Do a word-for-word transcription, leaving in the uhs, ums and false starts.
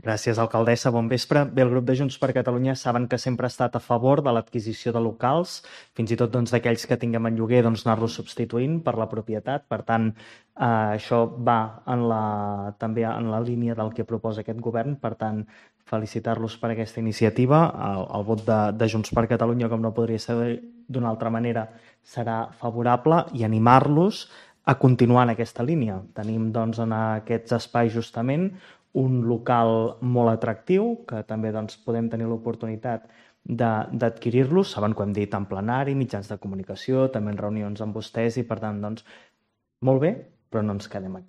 Gràcies, alcaldessa. Bon vespre. Bé, el grup de Junts per Catalunya saben que sempre ha estat a favor de l'adquisició de locals, fins i tot doncs, d'aquells que tinguem en lloguer, doncs, anar-los substituint per la propietat. Per tant, eh, això va en la, també en la línia del que proposa aquest govern. Per tant, felicitar-los per aquesta iniciativa. El, el vot de, de Junts per Catalunya, com no podria ser d'una altra manera, serà favorable i animar-los a continuar en aquesta línia. Tenim doncs, en aquests espais justament un local molt atractiu, que també doncs, podem tenir l'oportunitat d'adquirir-los. Saben que ho hem dit en plenari, mitjans de comunicació, també en reunions amb vostès i, per tant, doncs, molt bé, però no ens quedem aquí.